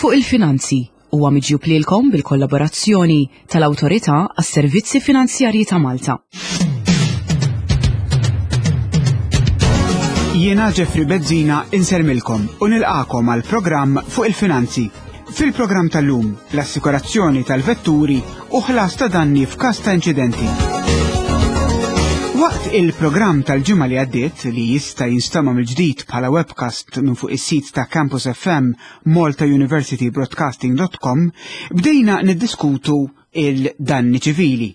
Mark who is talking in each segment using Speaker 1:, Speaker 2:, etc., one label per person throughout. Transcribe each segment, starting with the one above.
Speaker 1: Fuq il-Finanzi huwa miġjub lilkom bil-kollaborazzjoni tal-Awtorità għas-Servizzi Finanzjarji ta' Malta.
Speaker 2: Jiena Jeffrey Bezzina insermilkom u nilqakom għal programm fuq il-finanzi. Fil-programm tal-lum, l-assikurazzjoni tal-vetturi u ħlas ta' danni f'każ ta' inċidenti. Waqt il-programm tal-ġimgħa li għaddiet li jista' jinstama' mill-ġdid bħala webcast minn fuq is-sit ta' Campus FM maltauniversitybroadcasting.com bdejna niddiskutu il-danni ċivili.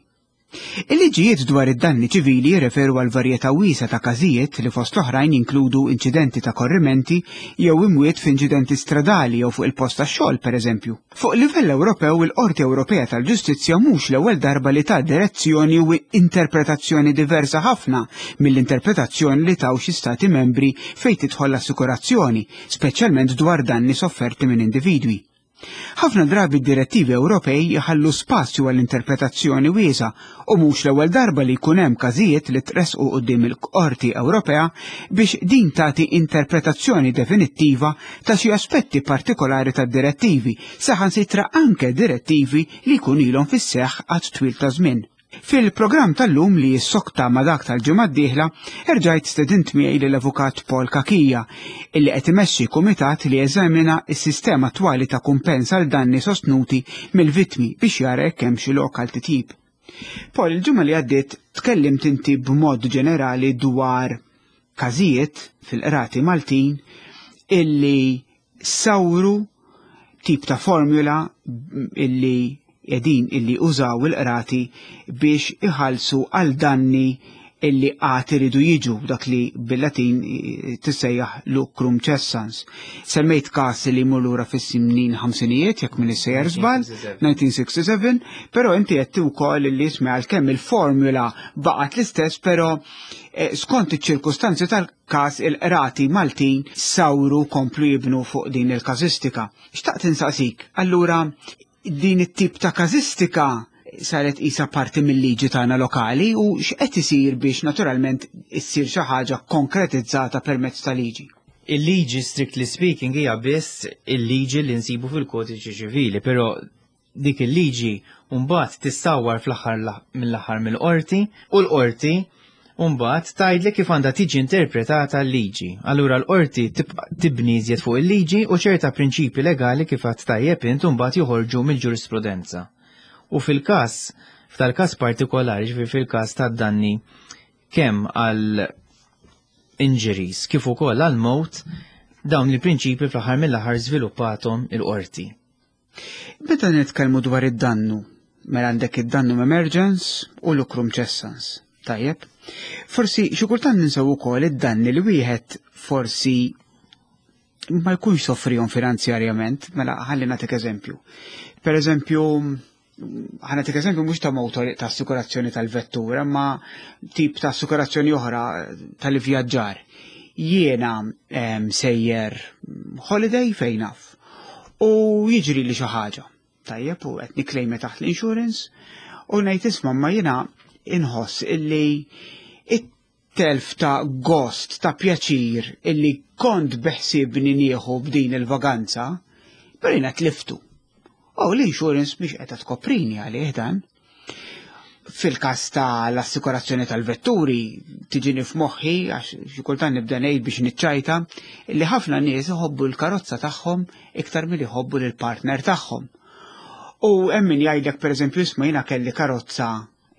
Speaker 2: Il-liġijiet dwar id-danni ċivili jirreferu għal varjetà wiesgħa ta' każijiet li fost l-oħrajn jinkludu inċidenti ta' korrimenti jew imwiet f'inċidenti stradali jew fuq il-post tax-xogħol, pereżempju. Fuq livell Ewropew, il-Qorti Ewropea tal-Ġustizzja mhux l-ewwel darba li tat direzzjoni u interpretazzjoni diversa ħafna mill-interpretazzjoni li taw xi Stati Membri fejn tidħol l-assikurazzjoni, speċjalment dwar danni sofferti minn individwi. Ħafna drabi d-direttivi Ewropej jħallu spazju għal interpretazzjoni wiesgħa u mhux l-ewwel darba li jkun hemm każijiet li tressqu quddiem il-Qorti Ewropea biex din tagħti interpretazzjoni definittiva ta' xi aspetti partikolari tad-direttivi, saħansitra anke direttivi li jkun ilhom fis-seħħ għad twil ta' żmien. Fil-programm tal-lum li jissokta ma' dak tal-ġimgħa d-dieħla, erġajt stedint miegħi lill-Avukat Paul Cachia, illi qed imexxi kumitat li jeżamina s-sistema attwali ta' kumpens għal danni sostnuti mill-vittmi biex jara jekk hemm xi lok għal titjib. Paul, il-ġimgħa li għaddiet tkellimt inti b'mod ġenerali dwar każijiet fil-qrati Maltin illi sawru tip ta' formula illi qegħdin illi użaw il-qrati biex iħallsu għal danni illi għad iridu jiġu dak li bil-Latin tissejjaħ lucrum cessans. Semmejt każ li jmur lura fis-snin ħamsinijiet jekk minn sejjer żball, 1967, però inti qed ukoll illi ismi għalkemm il-formula baqgħet l-istess, però eh, skont iċ-ċirkustanzi tal każ il-qrati Maltin sawru komplu jibnu fuq din il-każistika. Xtaqt insaqsik, allura din it-tip ta' każistika saret isa parti mill-liġi tagħna lokali u x'qed isir biex naturalment issir xi ħaġa konkretizzata permezz ta' liġi?
Speaker 3: Il-liġi strictly speaking hija biss il-liġi li nsibu fil-kodiċi ċivili, però dik il-liġi mbagħad tissawwar fl-aħħar mill-aħħar mill-qorti u l-qorti mbagħad tgħidlek kif għandha tiġi interpretata l-liġi. Allura l-qorti tibni iżjed fuq il-liġi u ċerta prinċipi legali kif għad tajjeb int mbagħad joħorġu mill-ġurisprudenza. U fil-każ, f'tal-każ partikolari, ġifieri fil-każ tad-danni kemm għal injuries kif ukoll għal mowt, dawn il-prinċipi fl-aħħar mill-aħħar żviluppathom il-qorti.
Speaker 2: Meta nitkellmu dwar id-dannu, mela għandek id-dannu emergence u lucrum cessans. Tajjeb. Forsi xi kultant ninsew ukoll id-danni li wieħed forsi ma jkunx soffrihom finanzjarjament, mela ħalli nagħtik eżempju. Per eżempju, ħanatik eżempju mhux ta' motor ta' assikurazzjoni tal-vettura, ma tip ta' assikurazzjoni oħra tal-ivvjaġġar. Jiena sejjer holiday fejn naf u jiġri li xi ħaġa. Tajjeb u qed niklejma taħt l-insurance u ngħid isma' ma jiena inħoss illi it-telf ta' gost, ta' pjaċir illi kont beħsibni nieħu b'din il-vaganza, però jiena tliftu. U l-insurance mhix qiegħda tkoprini għalih dan. Fil-każ tal-assikurazzjoni tal-vetturi tiġini f'moħħi għax xi kultant nibda ngħid biex niċċajta li ħafna nies iħobbu l-karozza tagħhom iktar milli jħobbu lill-partner tagħhom. U hemm min jgħidlek pereżempju isma' jiena kelli karozza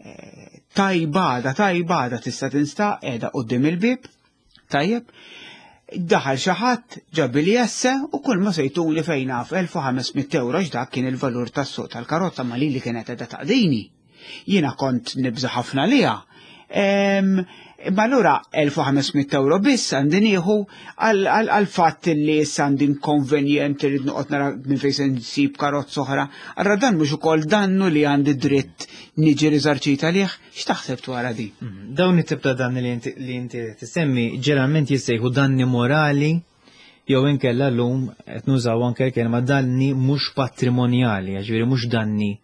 Speaker 2: eh, tajba għada tajba għada tista' tinsta qiegħda quddiem il-bieb Tajjeb, daħal xi ħadd ġabi li jesse u kull ma sejtuli fejn naf 1500 euro dak kien il-valur tas-suq tal-karozza ma lili kienet qiegħda taqdini. Jiena kont nibża ħafna liha. Imma allura 1500 euro biss għandi nieħu għal fatt li issa għandi inkonvenjent li noqgħod nara minn fejn se nsib karozza oħra. Allura dan mhux ukoll dannu li għandi dritt niġi riżarċita għalih. X'taħseb dwar di?
Speaker 3: Mhm. Dawn it-tip ta' danni li inti tissemmi ġeneralment jissejħu danni morali jew inkella llum qed nużaw anke l-kelma danni mhux patrimonjali, ġifieri mhux danni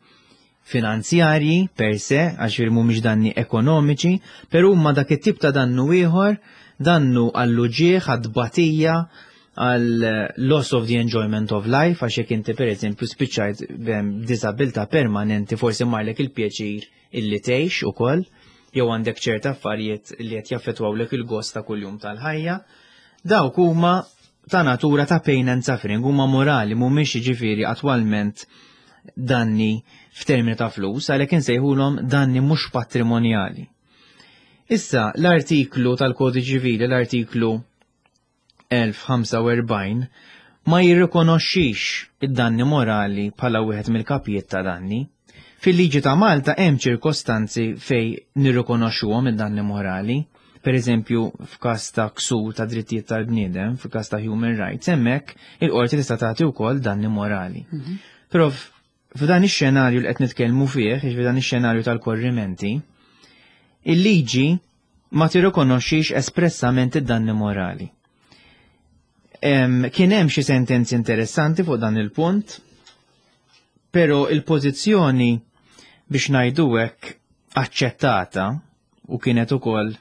Speaker 3: finanzjarji per se, għax mhumiex danni ekonomiċi, però huma dak it-tip ta' dannu ieħor, dannu għall-uġieħ, għad-tbatija, għal loss of the enjoyment of life, għax jekk inti pereżempju spiċċajt b'diżabilità permanenti forsi marlek il-pjaċir illi tgħix ukoll, jew għandek ċerta affarijiet li qed jaffettwawlek il-gost ta' kuljum tal-ħajja. Dawk huma ta' natura ta' pain and suffering, huma morali, mhumiex jiġifieri attwalment danni f'termini ta' flus, għalhekk insejħulhom danni mhux patrimonjali. Issa, l-artiklu tal-Kodiċi Ċivili, l-artiklu 1045, ma jirrikonoxxix id-danni morali bħala wieħed mill-kapijiet ta' danni. Fil-liġi ta' Malta hemm ċirkostanzi fej nirrikonoxxuhom id-danni morali. Per eżempju, f'każ ta' ksur ta' drittijiet tal-bniedem, f'każ ta' human rights, hemmhekk il-qorti tista' tagħti wkoll danni morali. Però f'dan ix-xenarju li qed nitkellmu fih, jiġifieri dan ix-xenarju tal-korrimenti, il-liġi ma tirrikonoxxix espressament id-danni morali. Kien hemm xi sentenzi interessanti fuq dan il-punt, però il-pożizzjoni biex ngħidu hekk aċċettata u kienet ukoll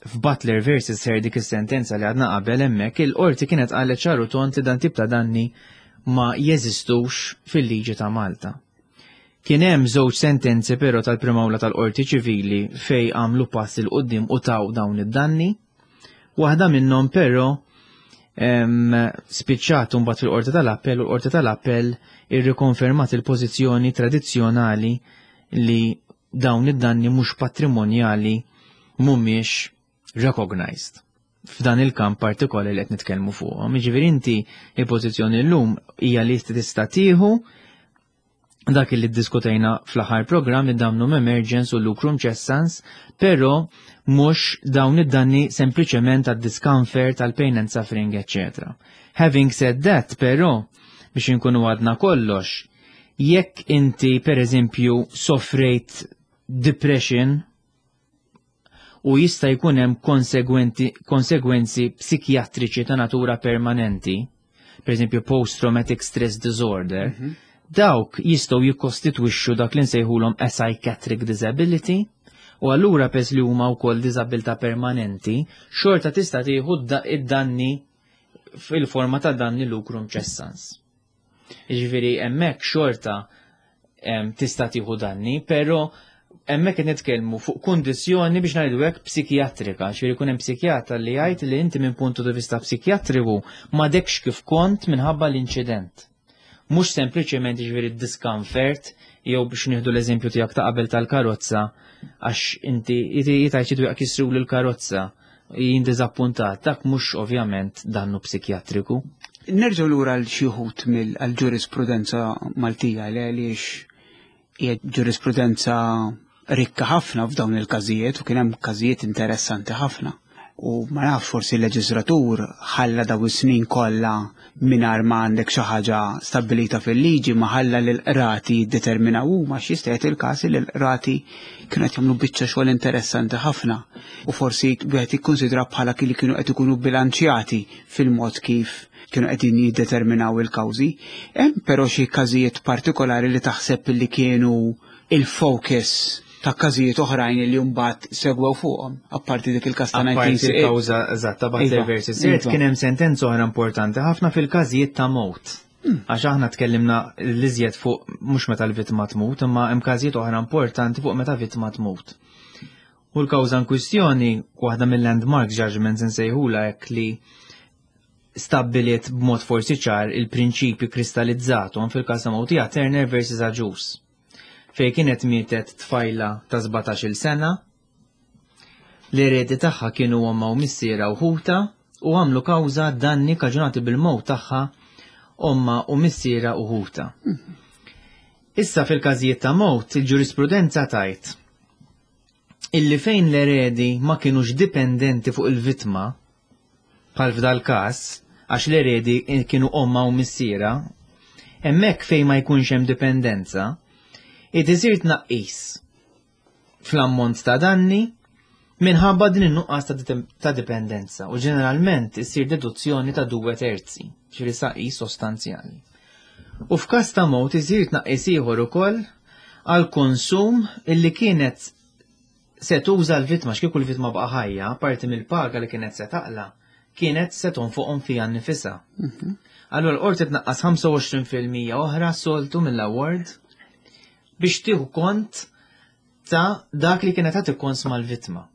Speaker 3: f'Butler versus Hare dik is-sentenza li għadna qabel hemmhekk il-qorti kienet qalet ċar u tond li dan tip ta' danni ma jeżistux fil-liġi ta' Malta. Kien hemm żewġ sentenzi però tal-Prim'Awla tal-Qorti Ċivili fej għamlu pass 'il quddiem u taw dawn id-danni. Waħda minnhom però spiċċat mbagħad fil-Qorti tal-Appell u l-Qorti tal-Appell irrikonfermat il-pożizzjoni tradizzjonali li dawn id-danni mhux patrimonjali mhumiex recognized f'dan il-kamp partikolari li qed nitkellmu fuqhom. Jiġifieri inti il-pożizzjoni llum hija li tista' tieħu dak li ddiskutejna fl-aħħar programm id-damnum emergens u lucrum cessans, però mhux dawn id-danni sempliċement għad discomfort, għal pain and suffering, etc. Having said that, però, biex inkunu għadna kollox, jekk inti per eżempju soffrejt depression u jista' jkun hemm konsegwenzi psikjatriċi ta' natura permanenti, per eżempju post-traumatic stress disorder, dawk jistgħu jikkostitwixxu dak li nsejħulhom a psychiatric disability, u allura pes li huma wkoll diżabilità permanenti, xorta tista' tieħu id-danni fil-forma ta' danni lucrum cessans. Jiġifieri hemmhekk xorta tista' tieħu danni, però hemmhekk qed nitkellmu fuq kundizzjoni biex ngħidu hekk psikjatrika, ġifieri jkun hemm psikjatra li jgħid li inti minn puntu di vista psikjatriku m'għadekx kif kont minħabba l-inċident. Mhux sempliċement jiġifieri discomfort jew biex nieħdu l-eżempju tiegħek ta' qabel tal-karozza għax inti jitajt xi dwieq kisru l-karozza jien diżappuntat, dak mhux ovvjament dannu psikjatriku.
Speaker 2: Nerġgħu lura għal xi wħud mill-ġurisprudenza Maltija li għaliex hija ġurisprudenza rikka ħafna f'dawn il-każijiet u kien hemm każijiet interessanti ħafna. U ma nafx forsi l-leġislatur ħalla daw is-snin kollha mingħajr ma għandek xi ħaġa stabbilita fil-liġi ma ħalla lil qrati jiddeterminaw huma x'jista' jagħti il-każ li l-qrati kienu qed jagħmlu biċċa xogħol interessanti ħafna u forsi wieħed jikkunsidra bħala li kienu qed ikunu bilanċjati fil-mod kif kienu qegħdin jiddeterminaw il-kawżi. Hemm però xi każijiet partikolari li taħseb li kienu il-focus ta' każijiet oħrajn li mbagħad segwew fuqhom, apparti dik il-każ ta'
Speaker 3: Apparti
Speaker 2: 1968.
Speaker 3: il-kawża eżatt ta' Butler versus Hare, kien hemm sentenza oħra importanti ħafna fil-każijiet ta' mewt. Għax aħna tkellimna l-iżjed fuq mhux meta l-vittma tmut, imma hemm każijiet oħra importanti fuq meta vittma tmut. U l-kawża in kwistjoni, waħda mill-landmark judgments insejħula hekk li stabbiliet b'mod forsi ċar il-prinċipju kristallizzatu fil-każ ta' mewtija Turner versus Agius, fej kienet mietet tfajla ta' 17-il sena, l-eredi tagħha kienu omma u missiera u ħuta u għamlu kawża danni kaġunati bil-mewt tagħha omma u missiera u ħuta. Issa fil-każijiet ta' mewt il-ġurisprudenza tajt illi fejn l-eredi ma kienux dipendenti fuq il-vittma, bħal f'dal każ, għax l-eredi kienu omma u missiera, hemmhekk fejn ma jkunx hemm dipendenza, id isir tnaqqis fl-ammont ta' danni minħabba din in-nuqqas ta' dipendenza u ġeneralment issir deduzzjoni ta' 2/3, ġifieri tnaqqis sostanzjali. U f'każ ta' mewt isir tnaqqis ieħor ukoll għal konsum illi kienet se tuża l-vittma, x'kieku l-vittma baqa' ħajja, parti mill-paga li kienet se taqla, kienet se tonfoqhom fiha nnifisha. Allura l-qorti tnaqqas 25% oħra soltu mill-award biex tieħu kont ta' dak li kienet ħadd ikkonsma l-vittma.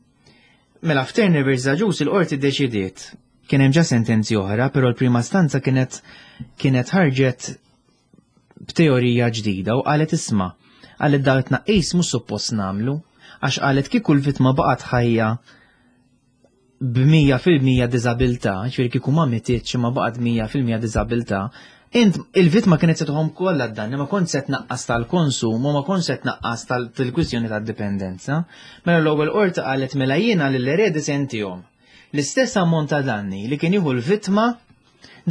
Speaker 3: Mela f'Turner vs. Agius il-qorti ddeċidiet kien hemm ġa sentenzi oħra, però l-prima stanza kienet kienet ħarġet b'teorija ġdida u qalet isma' qalet dak it-tnaqqis mhux suppost nagħmlu għax qalet kieku l-vittma baqgħet ħajja b'100% diżabilità, ġifieri kieku ma mititx imma baqgħet 100% diżabilità, int il-vittma kienet se tħom kollha d-danni, ma kont se tnaqqas tal-konsum u ma kont se tnaqqas tal-kwistjoni tad-dipendenza. Mela l-ewwel qorti qalet mela jiena lill-eredi se ntihom l-istess ammont ta' danni li kien jieħu l-vittma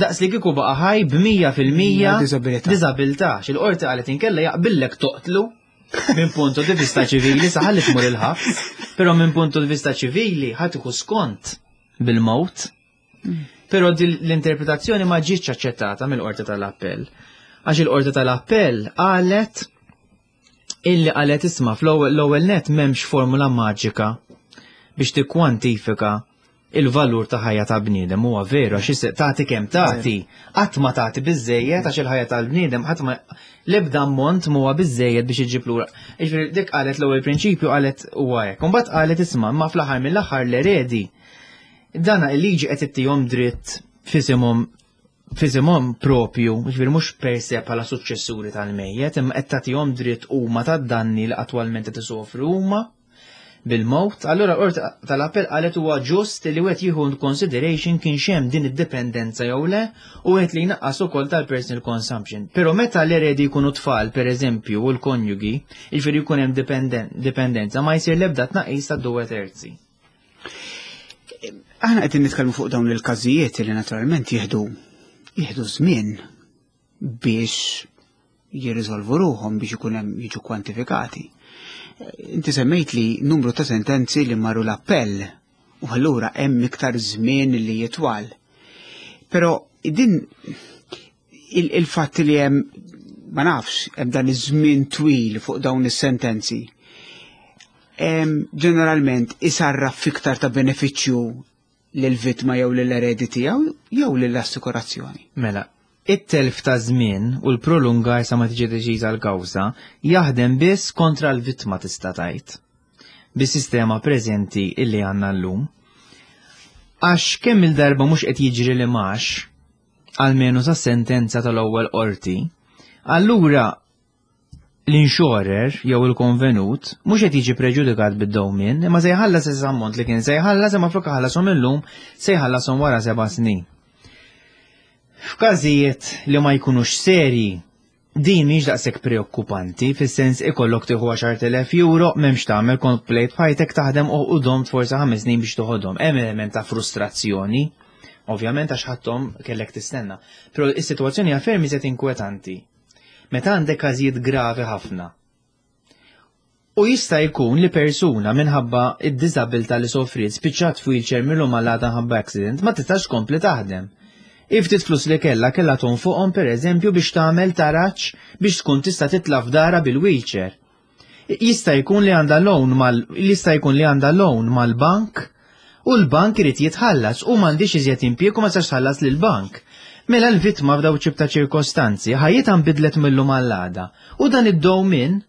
Speaker 3: daqs li kieku baqa' ħaj b'100% diżabilità. X'il-qorti qalet inkella jaqbillek toqtlu minn punto di vista ċivili saħalli tmur il-ħabs, però minn punto di vista ċivili ħadd iku skont bil-mowt. Però l-interpretazzjoni ma ġietx aċċettata mill-qorti tal-appell. Għax il-qorti tal-appell qalet illi qalet isma' fl-ewwel net m'hemmx formula maġika biex tikkwantifika il-valur ta' ħajja ta' bniedem huwa veru għax tagħti kemm tagħti, qatt ma tagħti biżejjed għax il-ħajja tal-bniedem qatt ma l-ebda ammont huwa biżejjed biex iġib lura. Jiġifieri dik qalet l-ewwel prinċipju qalet huwa hekk. Imbagħad qalet isma' imma fl-aħħar mill-aħħar l-eredi dana il-liġi qed ittihom dritt f'isimhom f'isimhom propju, ġifieri mhux per se bħala suċċessuri tal-mejjet, imma qed tagħtihom dritt huma tad-danni li attwalment qed isofru huma bil-mowt, allura l-Qorti tal-Appell qalet huwa ġust li wieħed jieħu consideration kien hemm din id-dipendenza jew le u wieħed li jnaqqas ukoll tal-personal consumption. Però meta l-eredi jkunu tfal, per eżempju, u l-konjugi, jiġifieri jkun hemm dipendenza, ma jsir l-ebda tnaqqis ta' due terzi.
Speaker 2: Aħna qegħdin nitkellmu fuq dawn il-każijiet li naturalment jieħdu jieħdu żmien biex jirriżolvu ruħhom biex ikun hemm jiġu kwantifikati. Inti semmejt li numru ta' sentenzi li marru l-appell u allura hemm iktar żmien li jitwal. Però din il-fatt li hemm ma nafx hemm dan iż-żmien twil fuq dawn is-sentenzi. Ġeneralment isarraf fiktar ta' benefiċċju lill-vittma jew lill-eredi tiegħu jew lill-assikurazzjoni.
Speaker 3: Mela, it-telf ta' żmien u l-prolungar sa ma tiġi deċiża l-kawża jaħdem biss kontra l-vittma tista' tgħid. Bis-sistema preżenti illi għandna llum. Għax kemm il-darba mhux qed jiġri li max, almenu sa sentenza tal-ewwel qorti, allura l-insurer jew il-konvenut mhux qed jiġi preġudikat bid-dewmien, imma se jħallas is ammont li kien se jħallas imma flok ħallasom illum se jħallasom wara seba' snin. F'każijiet li ma jkunux serji, din mhix daqshekk preokkupanti, fis-sens ikollok tieħu 10,000 euro m'hemmx tagħmel komplejt b'ħajtek taħdem u domt forsi ħames snin biex toħodhom. Hemm element ta' frustrazzjoni, ovvjament għax ħadthom kellek tistenna. Però is-sitwazzjoni hija ferm iżjed inkwetanti Meta għandek każijiet gravi ħafna. U jista' jkun li persuna minħabba id-diżabilità li sofriet spiċċat f'wheelchair mill-lum għal għada ħabba accident ma tistax tkompli taħdem. Iftit flus li kellha kellha tonfoqhom pereżempju biex tagħmel taraġ biex tkun tista' titla' f'dara bil-wheelchair. Jista' jkun li għandha loan mal jista' jkun li għandha loan mal-bank u l-bank irid jitħallas u m'għandix iżjed impjieg u ma tistax tħallas lill-bank. Mela l-vittma f'daw ċib ta' ċirkostanzi ħajjitha nbidlet mill-lum għall-għada u dan id-dewmien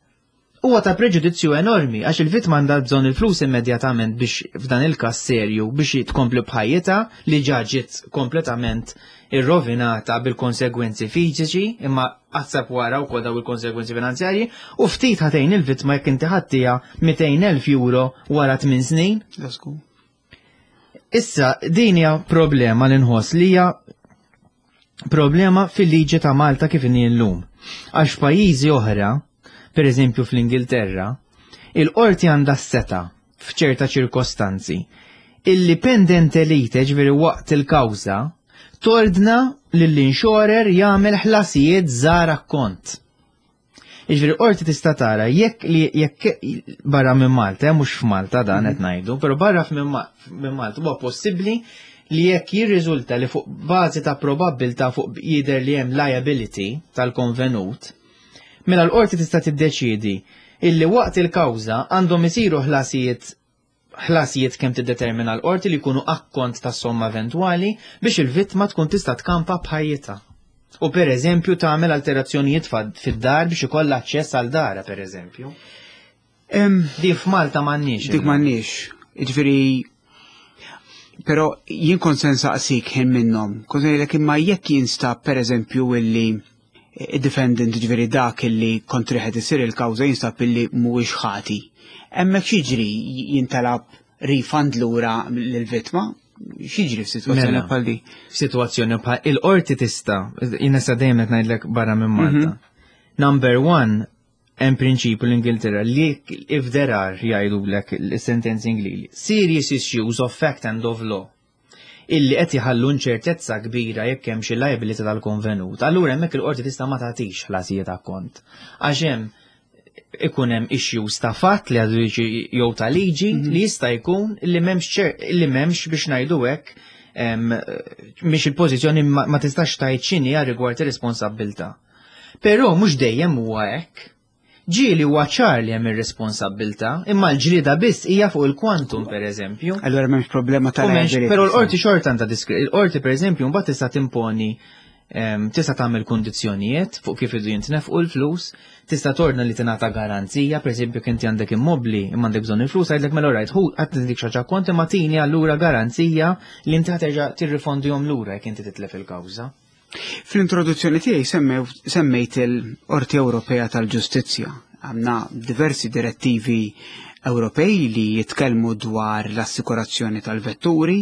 Speaker 3: huwa ta' preġudizzju enormi għax il-vittma għandha bżonn il-flus immedjatament biex f'dan il-każ serju biex tkompli b'ħajjitha li ġa ġiet kompletament irrovinata bil-konsegwenzi fiżiċi imma aħseb wara wkoll daw il-konsegwenzi finanzjarji u ftit ħatejn il-vittma jekk inti ħadtiha 200,000 euro wara 8 snin. Issa din hija problema li nħoss li hija problema fil-liġi ta' Malta kif inhi llum. Għax f'pajjiżi oħra, per eżempju fl-Ingilterra, il-qorti għandha s-seta f'ċerta ċirkostanzi illi pendente lite ġifieri waqt il-kawża tordna lill-insurer jagħmel ħlasijiet żgħar akkont. Jiġifieri qorti tista' tara jekk li jekk barra minn Malta, eh, mhux f'Malta dan qed ngħidu, però barra minn Malta huwa possibbli li jekk jirriżulta li fuq bażi ta' probabbiltà fuq jidher li hemm liability tal-konvenut, mela l-qorti tista' tiddeċiedi illi waqt il-kawża għandhom isiru ħlasijiet. Ħlasijiet kemm tiddetermina l-qorti li jkunu akkont ta' somma eventwali biex il-vittma tkun tista' tkampa b'ħajjitha. U per eżempju tagħmel alterazzjonijiet fid-dar biex ikollha aċċess għal dara per eżempju. Di f'Malta m'għandniex.
Speaker 2: Dik m'għandniex. Jiġifieri però jien kont se nsaqsik ħin minnhom. Kont ngħidlek imma jekk jinstab pereżempju illi id-defendant ġifieri dak illi kontrih qed isir il-kawża jinstab illi mhuwiex ħati. Hemmhekk x'jiġri jintalab refund lura lill-vittma? X'jiġri f'sitwazzjoni
Speaker 3: mela,
Speaker 2: bħal di?
Speaker 3: F'sitwazzjoni bħal il-qorti tista' jiena sa dejjem qed ngħidlek barra minn Malta. Mhm. Number one, hemm prinċipju l-Ingilterra li if there are jgħidulek is-sentenzi Ingliżi, serious issues of fact and of law illi qed jħallu inċertezza kbira jekk hemm xi liability tal-konvenut. Allura hemmhekk il-qorti tista' ma tagħtix ħlasijiet akkont. Għax hemm ikun hemm issues ta' fatt li għadu jew ta' liġi mhm. li jista' jkun li m'hemmx li m'hemmx biex ngħidu hekk mhix il-pożizzjoni ma tistax tgħid x'inhi rigward ir-responsabbiltà. Però mhux dejjem huwa hekk. Ġieli huwa ċar li hemm ir-responsabbiltà, imma l-ġlieda biss hija fuq il-kwantum pereżempju.
Speaker 2: Allura m'hemmx problema ta'
Speaker 3: Però l-qorti xorta għandha il-qorti pereżempju mbagħad tista' timponi tista' tagħmel kundizzjonijiet fuq kif idu jintnefqu l-flus, tista' torna li tingħata garanzija, pereżempju kien inti għandek immobbli imma għandek bżonn il-flus, għidlek mela rajt, hu qatt dik xi kont imma tini allura garanzija li inti ħaterġa' tirrifondihom lura jekk inti titlef il-kawża.
Speaker 2: Fl-introduzzjoni tiegħi semmejt il-Qorti Ewropea tal-Ġustizzja. Għandna diversi direttivi Ewropej li jitkellmu dwar l-assikurazzjoni tal-vetturi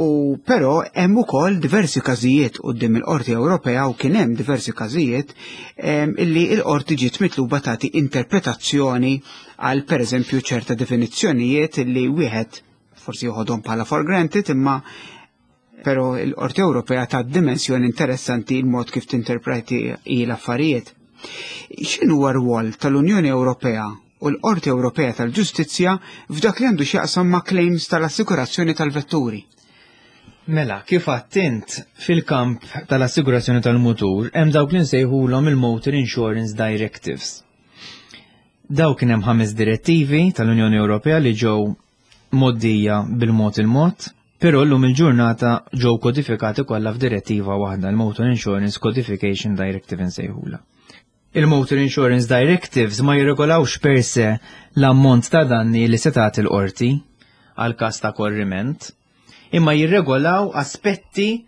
Speaker 2: u però hemm ukoll diversi każijiet quddiem il-Qorti Ewropea u kien hemm diversi każijiet illi l-Qorti ġiet mitluba tagħti interpretazzjoni għal pereżempju ċerta definizzjonijiet illi wieħed forsi joħodhom bħala for granted imma Pero l-Qorti Ewropea ta' dimensjoni interessanti il-mod kif tinterpreti l-affarijiet. X'inhu r-rwol tal-Unjoni Ewropea u l-Qorti Ewropea tal-Ġustizzja f'dak li għandu x'jaqsam ma' claims tal-assikurazzjoni tal-vetturi?
Speaker 3: Mela, kif għattint fil-kamp tal-assigurazzjoni tal-mutur hemm dawk li nsejħulhom il-Motor Insurance Directives. Dawk kien hemm ħames direttivi tal-Unjoni Ewropea li ġew mgħoddija bil-mod il-mod, però llum il-ġurnata ġew kodifikati kollha f'direttiva waħda, il-Motor Insurance Codification Directive insejħula. Il-Motor Insurance Directives ma jirregolawx per se l-ammont ta' danni li se tagħti l-qorti għal każ ta' korriment, imma jirregolaw aspetti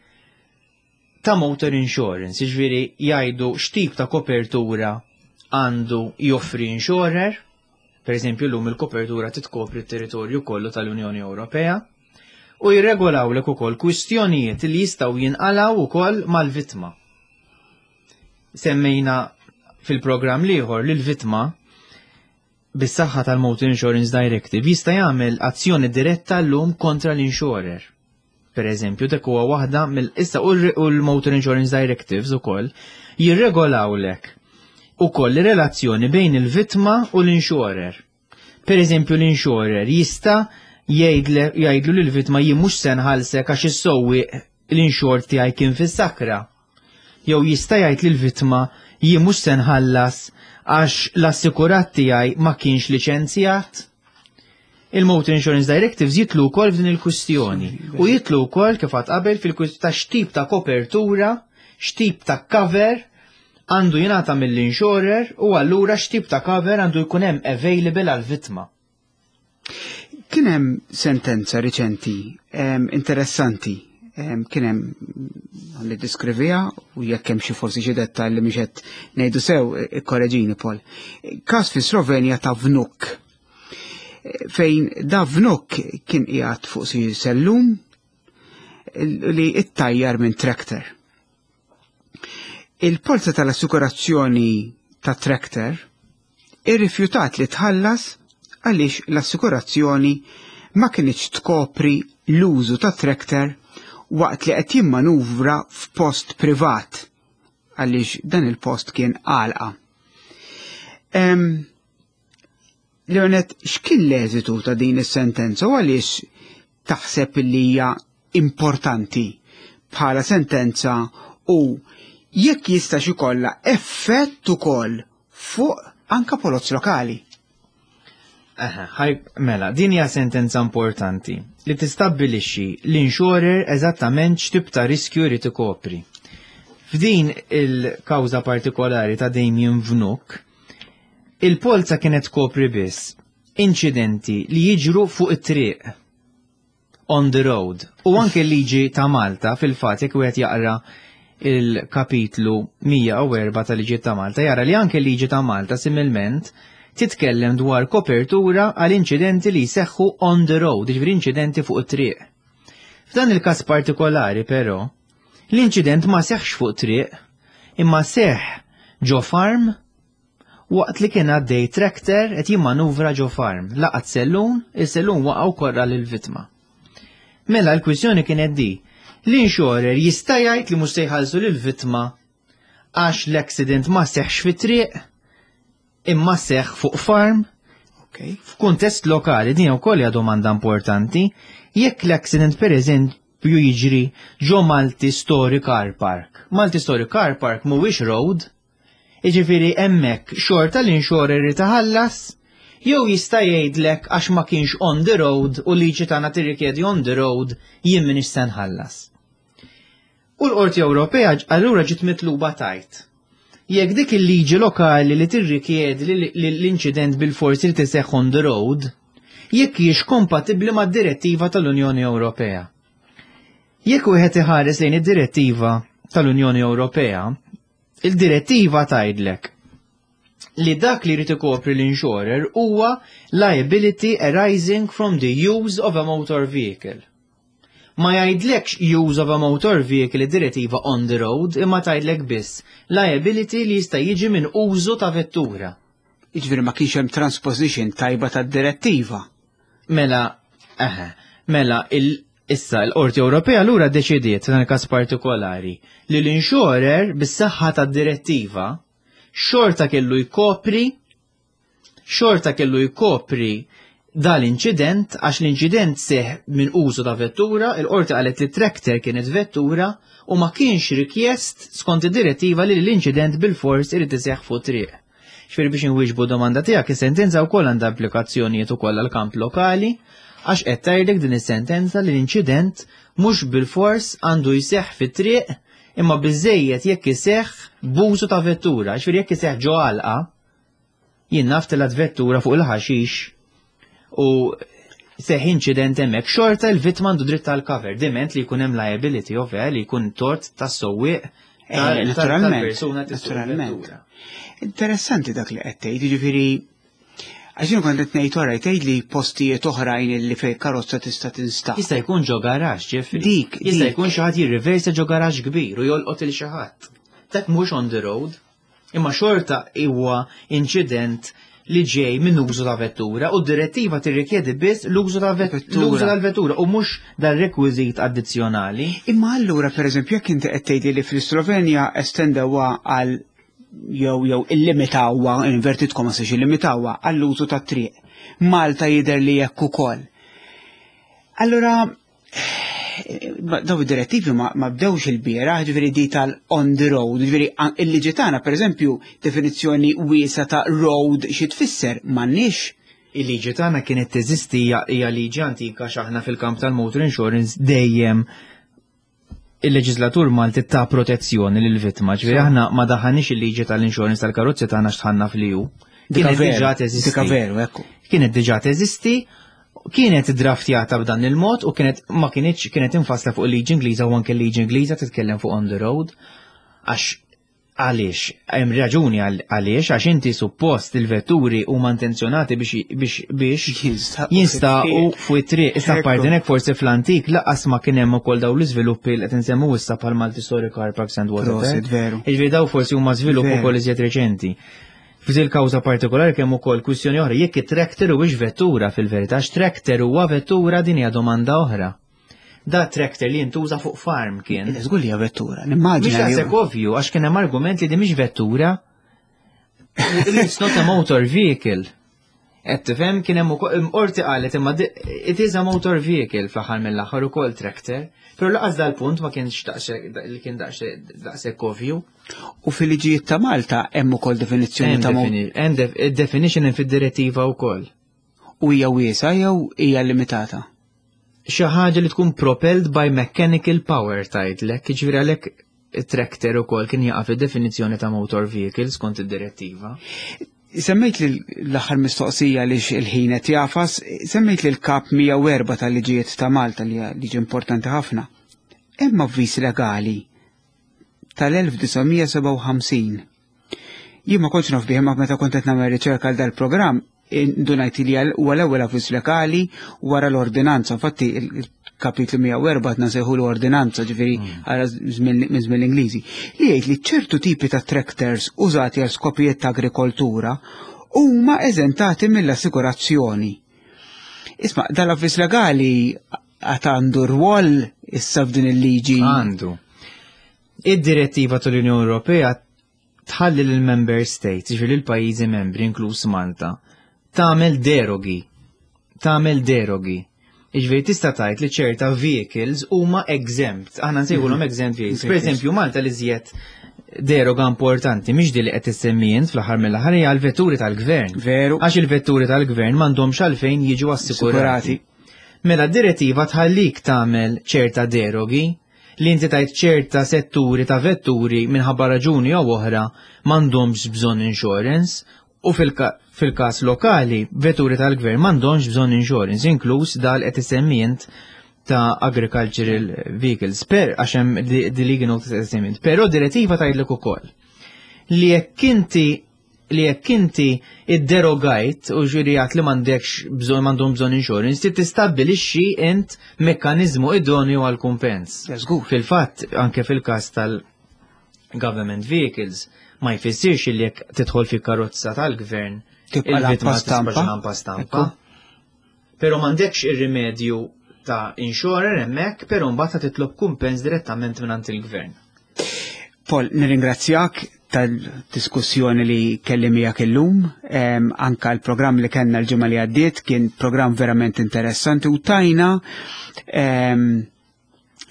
Speaker 3: ta' motor insurance, jiġifieri jgħidu x'tip ta' kopertura għandu joffri insurer, per eżempju llum il-kopertura titkopri t-territorju kollu tal-Unjoni Ewropea, u jirregolawlek ukoll kwistjonijiet li jistgħu jinqalgħu ukoll mal-vittma. Semmejna fil-programm l-ieħor li l-vittma bis-saħħa tal-Motor Insurance Directive jista' jagħmel azzjoni diretta llum kontra l-insurer. Per eżempju, dak huwa waħda mill issa u l-Motor Insurance Directives ukoll jirregolawlek ukoll relazzjoni bejn il-vittma u l-insurer. Per eżempju, l-insurer jista' jgħidlu lil vittma jien mhux se nħallsek għax is-sewwieq l-insured tiegħi kien fis-sakra. Jew jista' jgħid lill-vittma jien mhux se nħallas għax l-assikurat tiegħi ma kienx liċenzjat. Il-Motor Insurance Directives jitlu wkoll f'din il-kwistjoni u jitlu wkoll kif għad qabel fil-kwistjoni ta' x'tip ta' kopertura, x'tip ta' cover għandu jingħata mill-insurer u allura x'tip ta' cover għandu jkun hemm available għall-vittma.
Speaker 2: Kien hemm sentenza riċenti interessanti kien hemm li diskrivija u jekk hemm xi forsi xi dettal li mhix qed ngħidu sew ikkoreġini Paul. Każ fi Slovenja ta' Vnuk fejn da Vnuk kien qiegħed fuq xi sellum li ittajjar minn tractor. Il-polza tal-assikurazzjoni ta' tractor irrifjutat li tħallas għaliex l-assikurazzjoni ma kinitx tkopri l-użu ta' tractor waqt li qed jimmanuvra f'post privat għaliex dan il-post kien għalqa. Leonet, x'kien l-eżitu ta' din is-sentenza u għaliex taħseb li hija importanti bħala sentenza u jekk jista' ikollha effett ukoll fuq anka polozz lokali?
Speaker 3: Mela, din hija sentenza importanti li tistabbilixxi l-insurer eżattament x'tip ta' riskju jrid ikopri. F'din il-kawża partikolari ta' Damien Vnuk, il-polza kienet tkopri biss inċidenti li jiġru fuq it-triq on the road. U anke l-liġi ta' Malta fil-fatt jekk wieħed jaqra il-kapitlu 104 tal-liġi ta' Malta jara li anke l-liġi ta' Malta similment titkellem dwar kopertura għal inċidenti li jseħħu on the road, jiġifieri inċidenti fuq it-triq. F'dan il-każ partikolari però, l-inċident ma seħħx fuq triq, imma seħħ ġo farm waqt li kien għaddej tractor qed jimmanuvra ġo farm, laqat sellun, is-sellun waqa' u korra lill-vittma. Mela l-kwistjoni kienet di, l-insurer jista' jgħid li mhux se jħallsu lill-vittma għax l-accident ma seħħx fit-triq imma seħħ fuq farm?
Speaker 2: Okay.
Speaker 3: F'kuntest lokali din ukoll hija domanda importanti, jekk l-accident pereżempju jiġri ġo Multi Story Car Park. Multi Story Car Park mhuwiex road, Jiġifieri hemmhekk xorta l-insurer irid iħallas jew jista' jgħidlek għax ma kienx on the road u liġi tagħna tirrikjedi on the road jien m'iniex se nħallas. U l-Qorti Ewropea allura ġiet mitluba tgħid jekk dik il-liġi lokali li tirrikjedi li l-inċident bil-forsi li tiseħħ on the road, jekk hijiex kompatibbli mad-direttiva tal-Unjoni Ewropea. Jekk wieħed iħares lejn id-direttiva tal-Unjoni Ewropea, il-direttiva tgħidlek li dak li jrid ikopri l-insurer huwa liability arising from the use of a motor vehicle. Ma jgħidlekx use of a motor vehicle id-direttiva on the road, imma tgħidlek biss liability li jista' jiġi minn użu ta' vettura.
Speaker 2: Jiġifieri ma kienx hemm transposition tajba tad-direttiva.
Speaker 3: Mela, eħe, mela il Issa l-Qorti Ewropea lura ddeċidiet f'dan il-każ partikolari li l-insurer bis-saħħa tad-direttiva xorta kellu jkopri xorta kellu jkopri dal-inċident għax l-inċident seħ minn użu ta' vettura, il-qorti qalet li tractor kienet vettura u ma kienx rikjest skont id-direttiva li l-inċident bil-fors irid iseħħ fuq triq. Ġifieri biex inwieġbu domanda tiegħek, is-sentenza wkoll għandha implikazzjonijiet ukoll għall-kamp lokali għax qed tgħidlek din is-sentenza li l-inċident mhux bilfors għandu jseħħ fit-triq imma biżejjed jekk iseħħ b'użu ta' vettura, ġifieri jekk iseħħ ġo għalqa, jien naf telgħet vettura fuq il-ħaxix u seħ inċident hemmhekk, xorta l-vittma għandu dritt tal-cover, diment li jkun hemm liability ovvja li jkun tort tas-sewwieq
Speaker 2: eh, naturalment, naturalment. Interessanti dak li qed tgħid, jiġifieri għax jien kont qed ngħid wara tgħid li postijiet oħrajn li fejn karozza tista' tinstaq.
Speaker 3: Jista' jkun ġo garaxx, Jeffrey.
Speaker 2: Dik,
Speaker 3: jista' jkun xi ħadd jirriversa ġo garaxx kbir u jolqot il xi ħadd. Dak mhux on the road. Imma xorta huwa inċident li ġej minn użu ta' vettura u d-direttiva tirrikjedi biss l-użu ta' vettura tal-vettura u mhux dal-rekwiżit addizzjonali.
Speaker 2: Imma allura pereżempju jekk inti qed tgħidli li fl-Slovenja estendewha għal jew jew illimitawha, inverted commas illimitawha għall-użu tat-triq. Malta jidher li hekk ukoll. Allura daw id-direttivi ma, ma bdewx il-bieraħ, ġifieri di tal-on the road, ġifieri il-liġi tagħna pereżempju definizzjoni wiesa ta' road xi tfisser m'għandniex.
Speaker 3: Il-liġi tagħna kienet teżisti hija liġi antika x'aħna fil-kamp tal-motor insurance dejjem il-leġislatur Malti ta' protezzjoni lil vittma, ġifieri aħna ma daħanix il-liġi tal-insurance tal-karozzi tagħna x'tħanna fl-EU.
Speaker 2: Kienet diġà teżisti. Dika veru, ekku.
Speaker 3: Kienet diġà teżisti, kienet draftjata b'dan il-mod u kienet ma kienx kienet infassla fuq il-liġi Ingliża u anke l-liġi Ingliża titkellem fuq on the road għax għaliex hemm raġuni għaliex għax inti suppost il-vetturi huma intenzjonati biex biex biex jinstaqu fuq it-triq. Issa parti hekk forsi fl-antik laqas ma kien hemm ukoll dawn l-iżviluppi li qed insemmu issa bħal Multi Story Car Parks and Water. Jiġifieri daw forsi huma żvilupp ukoll iżjed reċenti. F'dil kawża partikolari kemm ukoll kwistjoni oħra jekk it-tractor huwiex vettura fil-verità, għax tractor huwa vettura din hija domanda oħra. Da tractor li jintuża fuq farm kien.
Speaker 2: Żgur li hija vettura, nimmaġina.
Speaker 3: Mhix daqshekk ovvju għax kien hemm argument li din mhix vettura. It's not a motor vehicle. Qed tifhem kien hemm ukoll qorti qalet imma it is a motor vehicle fl-aħħar mill-aħħar ukoll tractor. Però laqas dal-punt ma kienx daqshekk li kien daqshekk ovvju.
Speaker 2: U fil-liġijiet ta' Malta hemm ukoll definizzjoni ta'
Speaker 3: Hemm definition hemm fid-direttiva wkoll.
Speaker 2: U hija wiesa jew hija limitata?
Speaker 3: Xi ħaġa li tkun propelled by mechanical power tgħidlek, jiġifieri għalhekk it-tractor ukoll kien jaqa' fid-definizzjoni ta' motor vehicle skont id-direttiva.
Speaker 2: Semmejt li l-aħħar mistoqsija li il-ħin qed jafas, semmejt li l-kap 104 tal-liġijiet ta' Malta li hija liġi importanti ħafna. Hemm avviż legali tal-1957. Jien ma kontx naf bih imma meta kont qed nagħmel riċerka għal dal-programm indunajt li huwa l-ewwel avviż legali wara l-ordinanza. Infatti il-kapitlu 104 qed nsejħu l-ordinanza ġifieri mm. għara minn żmien l-Ingliżi. Li jgħid li ċertu tipi ta' tractors użati għal skopijiet ta' agrikoltura huma eżentati mill-assikurazzjoni. Isma' dal-avviż legali għad għandu rwol issa f'din il-liġi.
Speaker 3: Għandu. Id-direttiva tal-Unjoni Ewropea tħalli lill member states, ġifieri l-pajjiżi membri inkluż Malta, tagħmel derogi. Tagħmel derogi. Iġveri tista' tgħid li ċerta vehicles huma exempt. Aħna nsejħulhom mhm. exempt vehicles. Per eżempju, Malta li żjed deroga importanti mhix di li qed issemmi int fl-aħħar mill-aħħar hija l-vetturi tal-gvern.
Speaker 2: Veru.
Speaker 3: Għax il-vetturi tal-gvern m'għandhomx għalfejn jiġu assikurati. Mela d-direttiva tħallik tagħmel ċerta derogi li inti tajt ċerta setturi ta' vetturi minħabba raġuni jew oħra m'għandhomx bżonn insurance u fil-każ lokali vetturi tal-gvern m'għandhomx bżonn insurance inkluż dal qed isemmi int ta' agricultural vehicles per għax hemm di legal notice qed Però direttiva tgħidlek ukoll li jekk inti li jekk inti idderogajt u ġurijat li m'għandekx bżonn m'għandhom bżonn insurance, trid tistabbilixxi int mekkaniżmu idonju għal kumpens. Fil-fatt, anke fil-każ tal-government vehicles, ma jfissirx li jekk tidħol fi karozza tal-gvern
Speaker 2: Tibqa'
Speaker 3: il-vittma
Speaker 2: lampa stampa.
Speaker 3: tisbax lampa stampa. Pero m'għandekx ir-rimedju ta' insurer hemmhekk, pero mbagħad titlob kumpens direttament mingħand il-gvern.
Speaker 2: Paul, nirringrazzjak tal-diskussjoni li kelli miegħek illum, anka l-programm li kellna l-ġimgħa li għaddiet kien programm verament interessanti u tajna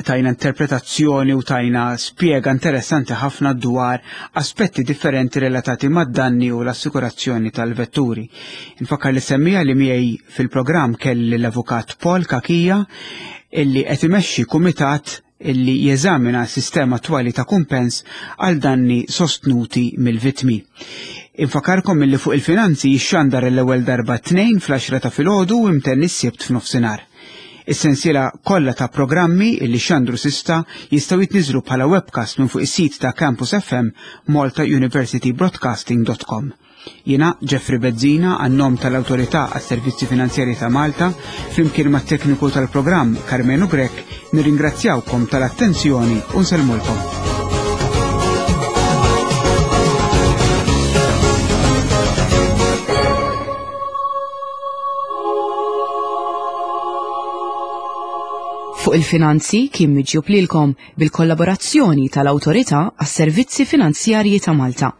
Speaker 2: tajna interpretazzjoni u tajna spjega interessanti ħafna dwar aspetti differenti relatati mad-danni u l-assikurazzjoni tal-vetturi. Infakkar li semmija li miegħi fil-programm kelli l-avukat Paul Kakija illi qed imexxi kumitat illi jeżamina s-sistema attwali ta' kumpens għal danni sostnuti mill-vittmi. Infakarkom illi fuq il-finanzi jixxandar l-ewwel darba t-Tnejn fl-10 ta' filgħodu u imtenni s-Sibt f'nofsinhar. Is-sensiela kollha ta' programmi illi xandru s'issa jistgħu jitniżżlu bħala webcast minn fuq is-sit ta' Campus FM maltauniversitybroadcasting.com. Jiena Jeffrey Bezzina għan-nom tal-Awtorità għas-Servizzi Finanzjarji ta' Malta, flimkien mat-tekniku tal-programm Karmenu Grech, nirringrazzjawkom tal-attenzjoni u nsellmulkom.
Speaker 1: Fuq il-finanzi kien miġjub lilkom bil-kollaborazzjoni tal-Awtorità għas-Servizzi Finanzjarji ta' Malta.